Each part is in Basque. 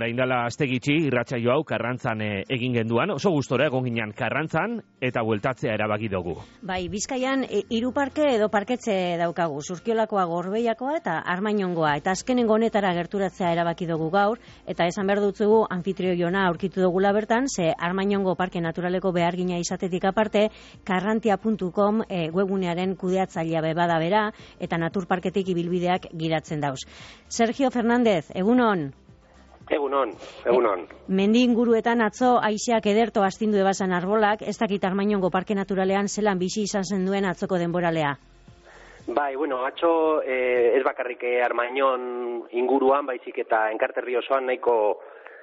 orain dela aste gitxi irratsaio hau Karrantzan egin genduan, oso gustora egon ginen Karrantzan eta bueltatzea erabaki dugu. Bai, Bizkaian 3 parke edo parketxe daukagu, Zurkiolakoa, Gorbeiakoa eta Armainongoa, eta azkenengo honetara gerturatzea erabaki dugu gaur, eta esan behar dutzugu anfitriona aurkitu dugula bertan, ze Armainongo Parke Naturaleko behargina izatetik aparte, karrantia.com webgunearen kudeatzailea bada bera, eta naturparketik ibilbideak giratzen dauz. Sergio Fernández, egunon. Egunon. Mendi inguruetan atzo haizeak ederto astindu ebasan arbolak, ez dakit Armainongo Parke Naturalean zelan bizi izan zen duen atzoko denboralea. Bai, atzo ez bakarrik Armainon inguruan, baizik eta Enkarterri osoan nahiko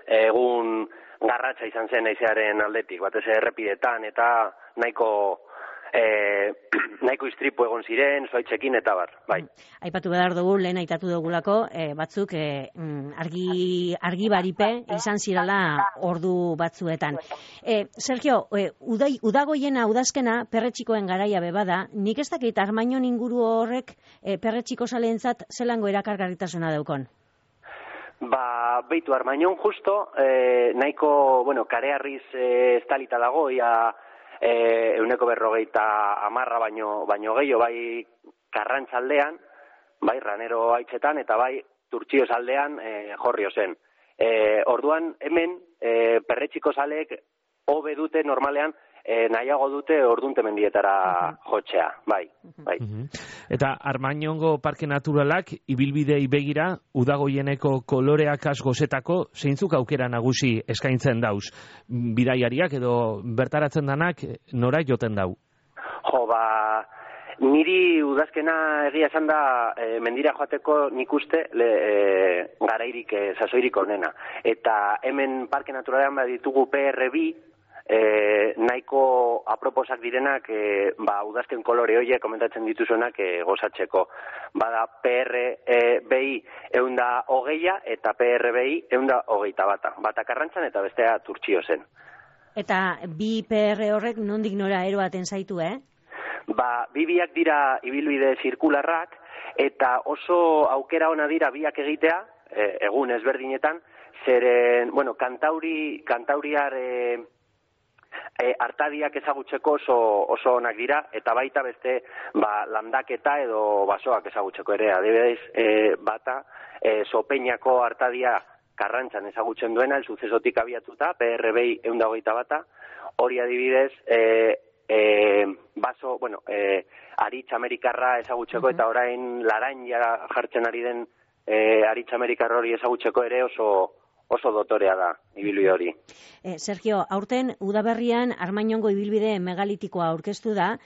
egun garratza izan zen haizearen aldetik, batez errepidetan eta nahiko istripu egon ziren, zuaitzekin eta bar, bai. Aipatu behar dugu, lehen aitatu dugulako, batzuk argi baripe izan zirala ordu batzuetan. Sergio, udagoiena, udazkena, perretxikoen garaia bebada, nik ez dakit Armainon inguru horrek perretxiko saleentzat zelango erakargarritasuna daukon? Beitu, Armainon justo, nahiko, karearriz estalita dago, ia 150 baino gehiago, bai Karrantzaldean, bai Ranero haitzetan, eta bai Turtxioz aldean jorrio zen. Orduan, hemen, perretxiko zaleek hobe dute normalean, nahiago dute ordunte mendietara jotzea, bai. Eta Armainongo Parke Naturalak ibilbidei begira udagoieneko koloreak gozetako zeintzuk aukera nagusi eskaintzen dauz? Bidaiariak edo bertaratzen danak nora joten dau? Niri udazkena egia esan da mendira joateko nik uste garairik sasoirik onena. Eta hemen Parke Naturalean baditugu PR2, nahiko aproposak direnak udazken kolore horiek komentatzen dituzuenak gozatzeko. Bada PR-BI 120 eta PR-BI 121. Bata Karrantzan eta bestea Turtxiozen. Eta bi PR horrek nondik nora eroaten zaitu, Biak dira ibilbide zirkularrak eta oso aukera ona dira biak egitea, egun ezberdinetan, zeren, kantauriar artadiak ezagutzeko oso onak dira, eta baita beste landaketa edo basoak ezagutzeko ere. Adibidez, bata, Sopeñako artadia Karrantzan ezagutzen duena, el sucesotik abiatuta, PR-BI 121, hori adibidez, aritz amerikarra ezagutzeko, eta orain laranja jartzen ari den aritz amerikarra hori ezagutzeko ere oso dotorea da ibilbide hori. Sergio, aurten udaberrian Armainongo ibilbide megalitikoa aurkeztu da.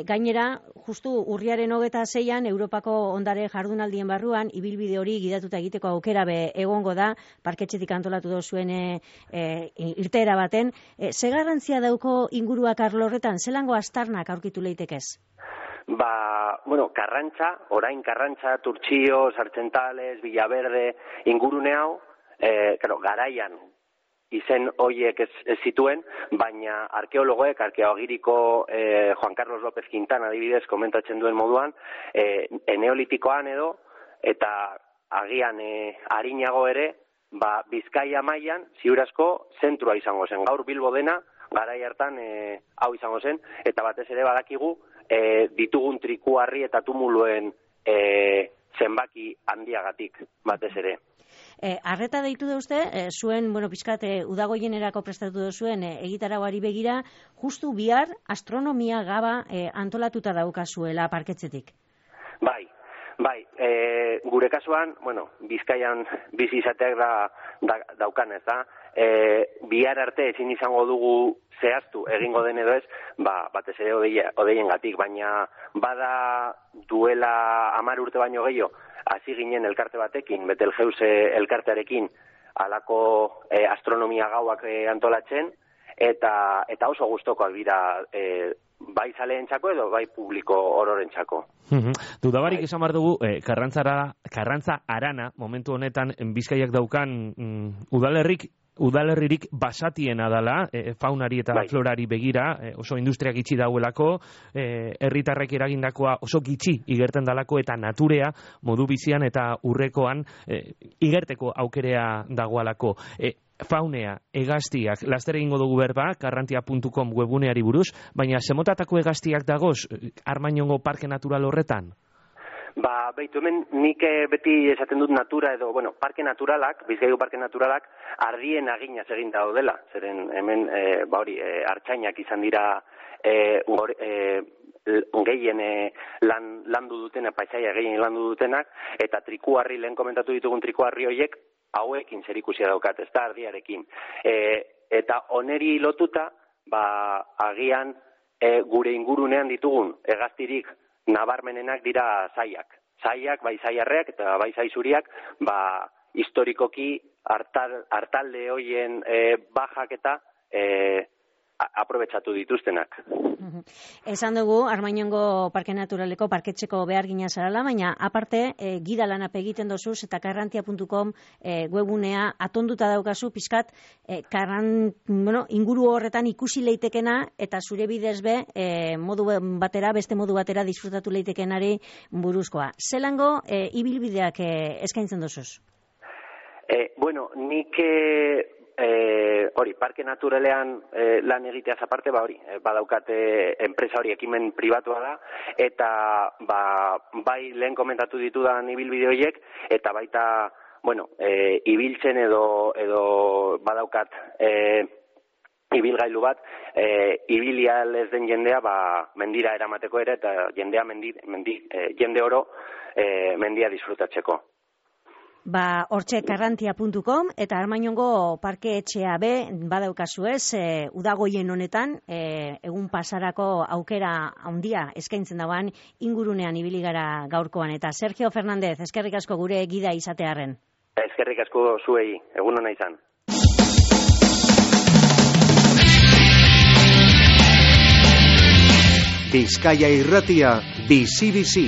Gainera, justu urriaren 26an Europako ondare jardunaldien barruan ibilbide hori gidatuta egiteko aukera egongo da, parketxetik antolatu dozuen irteera baten. Ze garrantzia dauko inguruak arlo horretan, zelango aztarnak aurkitu leitekez? Orain Karrantza, Turtxio, Sartzentales, Villaverde, ingurune hau, garaian izen hoiek ez zituen, baina arkeologoek, arkeologiriko Juan Carlos López Quintana adibidez komentatzen duen moduan, neolitikoan edo, eta agian arinago ere, Bizkaia mailan ziurazko zentrua izango zen. Gaur Bilbo dena, garai hartan hau izango zen, eta batez ere badakigu ditugun trikuarri eta tumuluen zenbaki handiagatik, batez ere. Arreta deitu da uste, zuen, pixkat, udagoienerako prestatu duzuen egitarauari begira, justu bihar astronomia gaba antolatuta daukazuela parketzetik. Bai, gure kasuan, Bizkaian bizi izateak daukan ez da, bihar arte ezin izango dugu zehaztu egingo den edo ez, batez ere odeiengatik, baina bada duela 10 urte baino gehiago, hasi ginen elkarte batekin, Betelgeuse elkartearekin, halako astronomia gauak antolatzen, eta oso gustokoak dira bai zaleentzako edo bai publiko ororentzako. Dudabarik esan behar dugu, Karrantza Arana, momentu honetan, Bizkaiak daukan udalerrik udalerririk basatiena dala, faunari eta florari begira, oso industria gitxi dauelako, herritarrek eragindakoa oso gitxi igerten dalako, eta naturea modu bizian eta urrekoan igerteko aukerea dagoalako. Faunea, hegaztiak, laster egingo dugu berba, karrantia.com webuneari buruz, baina zemotatako hegaztiak dagoz Armañongo Parke Natural horretan? Beitu, hemen nik beti esaten dut natura edo, parke naturalak, Bizkaiko parke naturalak, ardien aginaz egin daudela. Zeren hemen, artzainak izan dira gehien landu dutena, paisaia gehien landu dutenak, eta trikuarri, lehen komentatu ditugun trikuarri horiek, hauekin zerikusia daukat, ez da ardiarekin. Eta oneri lotuta, agian gure ingurunean ditugun hegaztirik nabarmenenak dira zaiak. Zaiak, bai zaiarreak eta bai zaizuriak, historikoki hartalde hoien bajak eta aprobetxatu dituztenak. Esan dugu, Armañongo Parke Naturaleko parketxeko behar gina zarala, baina aparte, gida lanap egiten dozuz eta karrantia.com webunea atonduta daukazu, pizkat, inguru horretan ikusi leitekena eta zure bidez beste modu batera disfrutatu leitekenari buruzkoa. Zelango ibilbideak eskaintzen dozuz? Nik parke naturalean lan egiteaz aparte, badaukate enpresa hori ekimen pribatua da, eta bai lehen komentatu ditudan ibilbide horiek, eta baita, ibiltzen edo badaukat ibilgailu bat, ibilia ez den jendea mendira eramateko ere, eta jende oro mendia disfrutatzeko. Hortxe karrantia.com eta Armañongo Parke Etxea badaukazu ez, udagoien honetan, egun pasarako aukera handia eskaintzen dauan ingurunean ibili gara gaurkoan. Eta Sergio Fernández, eskerrik asko gure gida izatearren. Eskerrik asko zuei, egun hona izan. Bizkaia Irratia, bizi-bizi.